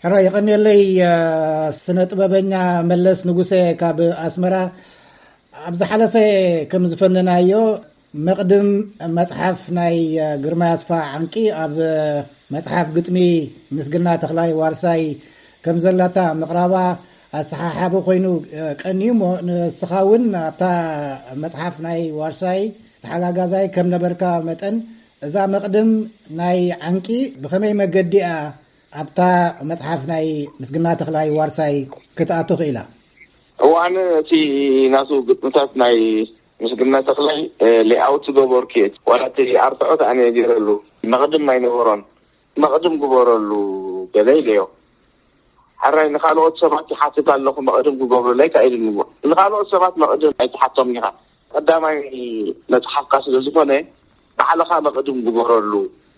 ሕራይ የቐንየለይ። ስነ ጥበበኛ መለስ ንጉሴ ካብ ኣስመራ። ኣብ ዝሓለፈ ከም ዝፈነናዮ፣ መቕድም መጽሓፍ ናይ ግርማይ ኣስፋ ዓንቂ ኣብ መጽሓፍ ግጥሚ ምስግና ተኽላይ ዋርሳይ ከም ዘላታ ምቕራባ ኣሰሓሓቢ ኮይኑ ቀንዩ እሞ፣ ንስኻ እውን ኣብታ መጽሓፍ ናይ ዋርሳይ ተሓጋጋዛይ ከም ነበርካ መጠን፣ እዛ መቕድም ናይ ዓንቂ ብኸመይ መገዲ እያ ኣብታ መጽሓፍ ናይ ምስግና ተኽላይ ዋርሳይ ክትኣቱ ክኢላ? እዋን እቲ ናቱ ግጥምታት ናይ ምስግና ተኽላይ ሌኣውት ዝገበርኩ እየ። ዋላ እቲ ኣርትዖት ኣነ ገይረሉ፣ መቕድም ኣይነበሮን። መቕድም ግበረሉ ገለ ኢለዮ። ሕራይ ንኻልኦት ሰባት ይሓትት ኣለኹ፣ መቕድም ክገብሩለይ ካኢሉኒ። ንኻልኦት ሰባት መቕድም ኣይትሓቶም ኢኻ። ቀዳማይ መጽሓፍካ ስለ ዝኾነ፣ ባዕልኻ መቕድም ግበረሉ።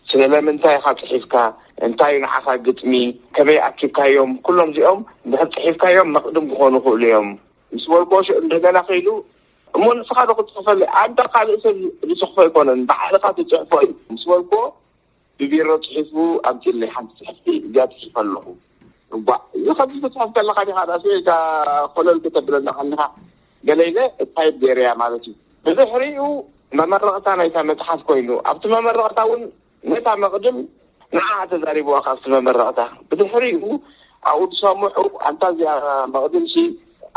ስለምንታይ ኢኻ ጽሒፍካ? እንታይ ንዓኻ ግጥሚ? ከመይ ኣኪብካዮም? ኩሎም እዚኦም እንድሕር ጽሒፍካዮም መቕድም ክኾኑ ይኽእሉ እዮም ምስ በልክዎ፣ ሽዑ እንደገና ከይዱ፣ እሞ ንስኻ ዶ ክትጽሕፈለይ? ኣንታ ካልእ ሰብ ዝጽሕፎ ኣይኮነን፣ ባዕልኻ ትጽሕፎ እዩ ምስ በልክዎ፣ ብቢሮ ጽሒፉ ኣምጺኡለይ። ሓንቲ ጽሕፍቲ እዚኣ ጽሒፈ ኣለኹ። እባ እዚ ከምዚ ክትጽሕፍ ከለኻ ዲኻ ዳስ ወይ እዛ ኮለል ከተብለና ከለኻ ገለ ኢለ እታይ ገይረያ ማለት እዩ። ብድሕሪኡ መመረቕታ ናይታ መጽሓፍ ኮይኑ፣ ኣብቲ መመረቕታ እውን ነታ መቕድም ንዓኣ ተዛሪብዋ ካብቲ መመረቕታ። ብድሕሪኡ ኣብኡ ዝሰምዑ፣ ኣንታ እዚኣ መቕድምሲ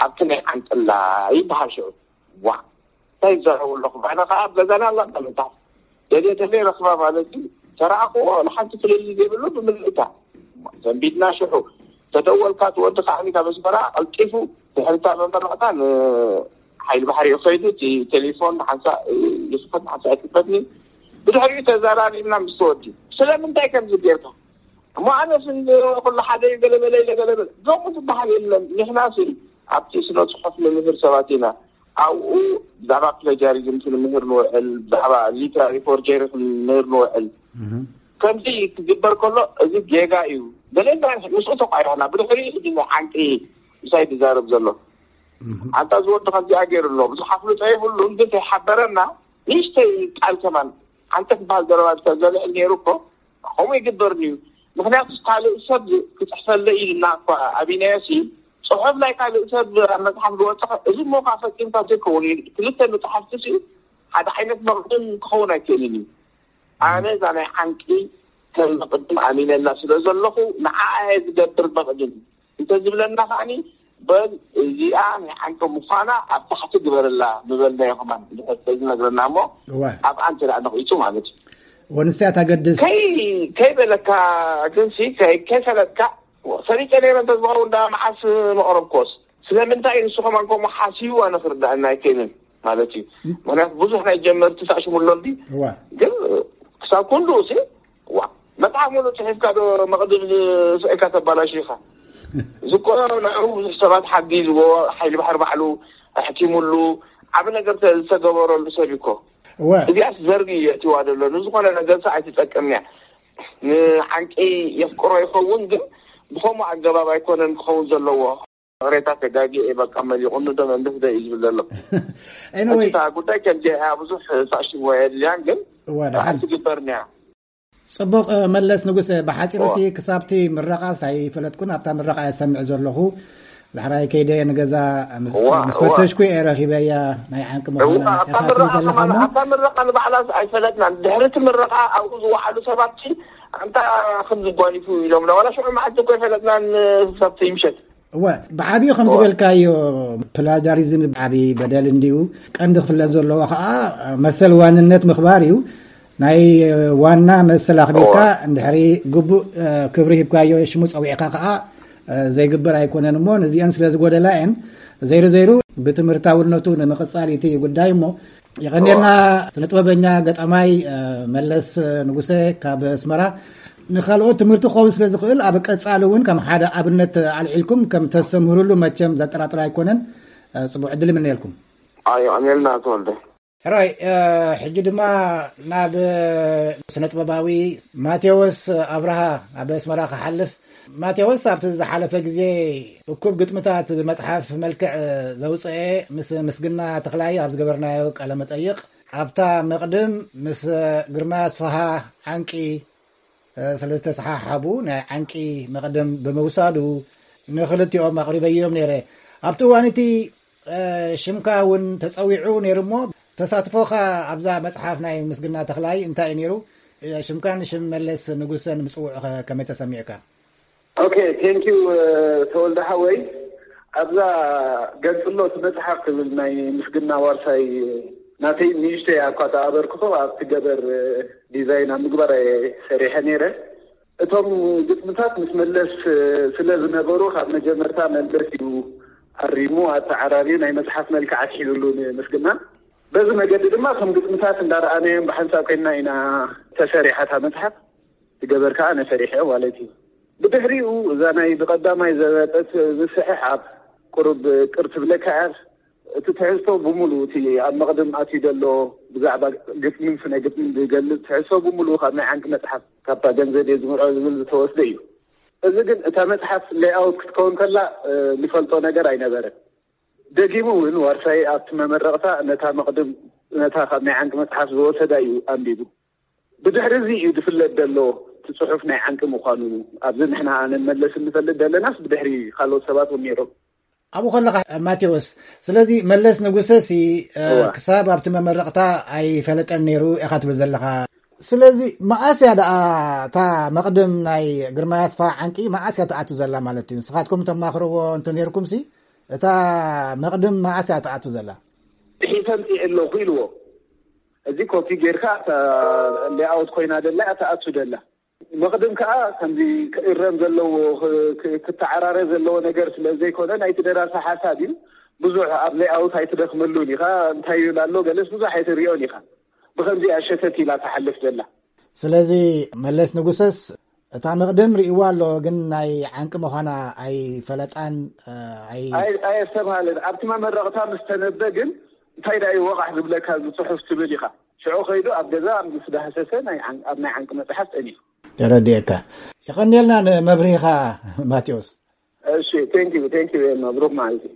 ኣብቲ ናይ ዓንጥላ ይበሃል ሽዑ። ዋ፣ እንታይ ይዛረቡ ኣለኹ? ኣነ ኸዓ ኣብ ገዛና ኣላ እታ መጽሓፍ። ደልየ ደልየ ረኽባ ማለት እዩ። ተረኣኽዎ ንሓንቲ ፍልልይ ዘይብሉ ብምልእታ። ሰንቢድና ሽሑ። ተደወልካ፣ እቲ ወዲ ከዓኒ ካብ ኣስመራ ቀልጢፉ ድሕሪ እታ መመረቕታ ንሓይሊ ባሕሪ እዩ ከይዱ። እቲ ቴሌፎን ሓንሳእ ይኽፈት፣ ሓንሳእ ኣይክፈትኒ። ብድሕሪኡ ተዘራሪብና ምስቲ ወዲ። ስለምንታይ ከምዚ ጌርካ? እሞ ኣነስ እንዶ ኩሉ ሓደ እዩ፣ ገለ በለ ኢለ፣ ገለ በለ። ከምኡ ዝበሃል የለን። ንሕናሲ ኣብቲ ስነ ጽሑፍ ንምህር ሰባት ኢና። ኣብኡ ብዛዕባ ፕለጃሪዝም ክንምህር ንውዕል፣ ብዛዕባ ሊትራሪ ፎርጀሪ ክንምህር ንውዕል። እህ። ከምዚ ክግበር ከሎ፣ እዚ ጌጋ እዩ። ገለ እንታይ ምስኡ ተቋይሮና፣ ብድሕሪኡ ሕጂ ዓንቂ ምሳይ ዝዛረብ ዘሎ። እህ። ኣንታ እዚ ወዲ ከምዚኣ ገይሩ ኣሎ፣ ብዙሕ ኣፍልጦ የብሉን፣ ግን ተይሓበረና፣ ንእሽተይ ቃል ከማን፣ ዓንቂ ትበሃል ዘረባ እንተዘልዕል ነይሩ እኮ፣ ከምኡ ይግበርን እዩ። ምኽንያቱ ካልእ ሰብ ክጽሕፈለይ ኢልና እኳ ኣቢናዮሲ፣ ጽሑፍ ናይ ካልእ ሰብ ኣብ መጽሓፍ ዝወጸ፣ እዚ እሞ ከኣ ፈጺምካ ዘይከውን እዩ። ክልተ መጽሓፍቲ ሲ ሓደ ዓይነት መቕድም ክኸውን ኣይክእልን እዩ። ኣነ እዛ ናይ ዓንቂ ከም መቕድም ኣሚነላ ስለ ዘለኹ፣ ንዓኣ እየ ዝገብር መቕድም። እንተዝብለና ከዓኒ፣ በል እዚኣ ናይ ዓንቂ ምዃና ኣብ ታሕቲ ግበረላ ምበልናዮ ከማን፣ እንድሕር ተዝነግረና እሞ፣ እዋ። ኣብኣ እንተ ደኣ ነቒጹ ማለት እዩ። ወንስያ ታገድስ። ከይ-፣ ከይበለካ ግንሲ፣ ከይ-፣ ከይፈለጥካ፣ ሰሪቀ ነይረ እንተዝኸውን ደኣ መዓስ መቕረብኮስ? ስለምንታይ ንሱ ከማን ከምኡ ሓሲቡ ኣነ ክርዳእና ኣይክእልን ማለት እዩ። ምኽንያቱ ብዙሕ ናይ ጀመርቲ ሳሽሙሎ እንዲ፣ እዋ። ግን ክሳብ ክንድኡ ሲ፣ ዋ፣ መጽሓፍ ሙሉእ ጽሒፍካ ዶ መቕድም ስዒካ ተባላሽ ኢኻ? እዚ እኮ ንዕኡ ብዙሕ ሰባት ሓጊዝዎ፣ ሓይሊ ባሕሪ ባዕሉ ኣሕኪሙሉ፣ ዓቢ ነገር ተ-፣ ዝተገበረሉ ሰብ እዩ እኮ። እወ። እዚኣስ ዘርጊ እዩ የእትዋ ዘሎ። ንዝኾነ ነገርሲ ኣይትጠቅምን እያ። ንዓንቂ የፍቅሮ ይኸውን፣ ግን ብኸምኡ ኣገባብ ኣይኮነን ክኸውን ዘለዎ። ቅሬታ ተጋጊ እየ፣ በቃ መሊቑኒ ዶ መንግስቲ ዶ እዩ ዝብል ዘሎ። ኤኒወይ። እታ ጉዳይ ከምዚ እያ፣ ብዙሕ ሳሽም ወይ የድልያን፣ ግን እዋ፣ ደሓን። ኣይትግበርን እያ። ጽቡቕ፣ መለስ ንጉሰ፣ ብሓጺሩ እዋ። ሲ ክሳብቲ ምረቓስ ኣይፈለጥኩን፣ ኣብታ ምረቓ እየ ሰምዕ ዘለኹ። ዳሕራይ ከይደ ንገዛ ምስ፣ እዋ፣ ምስ እዋ። ፈተሽኩ እየ ረኺበያ፣ ናይ ዓንቂ እዋ፣ ምዃና ኣብታ ኢኻ ትብል ምረቓ ዘለኻ ከማን፣ እሞ። ኣብታ ምረቓ ንባዕላስ ኣይፈለጥናን። ድሕሪ እቲ ምረቓ ኣብኡ ዝወዓሉ ሰባት ሲ ኣንታ ከም ዝጓኒፉ ኢሎምና። ዋላ ሽዑ መዓልቲ እኮ ኣይፈለጥናን፣ ክሳብቲ ምሸት። እወ፣ ብዓብዩ ከም እወ። ዝበልካዮ፣ ፕላጃሪዝም ብዓብዪ በደል እንድዩ። ቀንዲ ክፍለጥ ዘለዎ ኸዓ መሰል ዋንነት ምኽባር እዩ። ናይ ዋና መሰል ኣኽቢርካ እወ። እንድሕሪ ግቡእ፣ እ፣ ክብሪ ሂብካዮ ሽሙ ጸዊዕካ ኸዓ፣ እ፣ ዘይግበር ኣይኮነን እሞ፣ ነዚአን ስለ ዝጎደላ እየን። ዘይሩ ዘይሩ ብትምህርታውነቱ ንምቕጻል እቲ ጉዳይ እሞ፣ የቐንየልና። እዋ። ስነ ጥበበኛ ገጣማይ፣ እ፣ መለስ ንጉሰ ካብ ኣስመራ። ንኻልኦት ትምህርቲ ክኸውን ስለ ዝኽእል፣ ኣብ ቀጻሊ እውን ከም ሓደ ኣብነት ኣልዒልኩም ከም ተስተምህሩሉ መቸም ዘጠራጥር ኣይኮነን። እ፣ ጽቡቕ ዕድል ይምነየልኩም። ኣዮ፣ ኣሜልና ተወልደ። ሕራይ፣ እ፣ ሕጂ ድማ ናብ ስነ ጥበባዊ ማቴዎስ ኣብርሃ ኣብ ኣስመራ ክሓልፍ። ማቴዎስ ኣብቲ ዝሓለፈ ግዜ እኩብ ግጥምታት ብመጽሓፍ መልክዕ ዘውጽአ ምስ ምስግና ተኽላይ ኣብ ዝገበርናዮ ቃለ መጠይቕ፣ ኣብታ መቕድም ምስ ግርማ ኣስፍሃ ዓንቂ ስለ ዝተሰሓሓቡ ናይ ዓንቂ መቕድም ብምውሳዱ ንኽልቲኦም ኣቕሪበዮም ነይረ። ኣብቲ እዋን እቲ ሽምካ እውን ተጸዊዑ ነይሩ። እሞ ተሳትፎኻ ኣብዛ መጽሓፍ ናይ ምስግና ተኽላይ እንታይ እዩ ነይሩ? ሽምካን ሽም መለስ ንጉሰን ምጽውዑ ከመይ ተሰሚዕካ? ኦኬ፣ ቴንኪዩ ተወልደ ሓወይ። ኣብዛ ገንጽሎ እቲ መጽሓፍ ትብል ናይ ምስግና ዋርሳይ ናተይ ንእሽተይ እኳ ተኣበርክቶ ኣብቲ ገበር ዲዛይን ኣብ ምግባር ሰሪሐ ነይረ። እቶም ግጥምታት ምስ መለስ ስለ ዝነበሩ ካብ መጀመርታ መለስ እዩ ኣሪሙ ኣተዓራርዩ ናይ መጽሓፍ መልክዕ ኣትሒዙሉ ንምስግና። በዚ መገዲ ድማ ከም ግጥምታት እንዳረኣናዮም ብሓንሳብ ኮይንና ኢና ተሰሪሓታ መጽሓፍ። ዝገበር ከዓ ነሰሪሐ ማለት እዩ። ብድሕሪኡ እዛ ናይ ብቐዳማይ ዘበጠት ምስሕሓብ ቁሩብ ቅር ትብለካ እያ። እቲ ትሕዝቶ ብምሉ እቲ ኣብ መቕድም ኣትዩ ዘሎ ብዛዕባ ግጥምን ስነ ግጥምን ዝገልጽ ትሕዝቶ ብምሉ ካብ ናይ ዓንቂ መጽሓፍ ካብታ ገንዘብ እየ ዝምርዖ ዝብል ዝተወስደ እዩ። እዚ ግን እታ መጽሓፍ ሌኣውት ክትከውን ከላ ዝፈልጦ ነገር ኣይነበረን። ደጊሙ እውን ዋርሳይ ኣብቲ መመረቕታ ነታ መቕድም ነታ ካብ ናይ ዓንቂ መጽሓፍ ዝወሰዳ እዩ ኣንቢቡ። ብድሕሪ እዚ እዩ ዝፍለጥ ዘሎ እቲ ጽሑፍ ናይ ዓንቂ ምዃኑ። ኣብዚ ንሕና ኣነን መለስ እንፈልጥ ዘለናስ ብድሕሪ ካልኦት ሰባት እውን ነይሮም። ኣብኡ ከለኻ ማቴዎስ፣ ስለዚ መለስ ንጉሰ ሲ ክሳብ ኣብቲ መመረቕታ ኣይፈለጠን ነይሩ ኢኻ ትብል ዘለኻ። ስለዚ መኣስ እያ ደኣ እታ መቕድም ናይ ግርማይ ኣስፋ ዓንቂ መኣስ እያ ትኣቱ ዘላ ማለት እዩ? ንስኻትኩም ተማኽርዎ እንተ ነይርኩም ሲ እታ መቕድም መኣስ እያ ትኣቱ ዘላ? ሒሰ ምፅእ ኣለኹ ኢልዎ። እዚ ኮፒ ጌርካ ሌኣውት ኮይና ደላ እያ ትኣቱ ደላ። መቕድም ከዓ ከምዚ ክእረም ዘለዎ ክተዓራረ ዘለዎ ነገር ስለ ዘይኮነ ናይቲ ደራሲ ሓሳብ እዩ። ብዙሕ ኣብ ሌኣውት ኣይትደኽመሉን ኢኻ። እንታይ ይብል ኣሎ ገለስ ብዙሕ ኣይትሪኦን ኢኻ። ብኸምዚ እያ ሸተት ኢላ ትሓልፍ ዘላ። ስለዚ መለስ ንጉሰስ እታ መቕድም ርእይዋ ኣሎ፣ ግን ናይ ዓንቂ ምዃና ኣይፈለጣን። ኣየስተብሃለን። ኣብቲ መመረቕታ ምስ ተነበ ግን እንታይ ዳ እዩ ወቓሕ ዝብለካ እዚ ጽሑፍ ትብል ኢኻ። ሽዑ ከይዱ ኣብ ገዛ ምስ ዳህሰሰ ኣብ ናይ ዓንቂ መጽሓፍ ጠኒፉ። ተረዲኤካ። የቐንየልና ንመብርሂኻ ማቴዎስ። እሺ፣ ቴንኪዩ ቴንኪዩ። መብሩክ ማለት እዩ።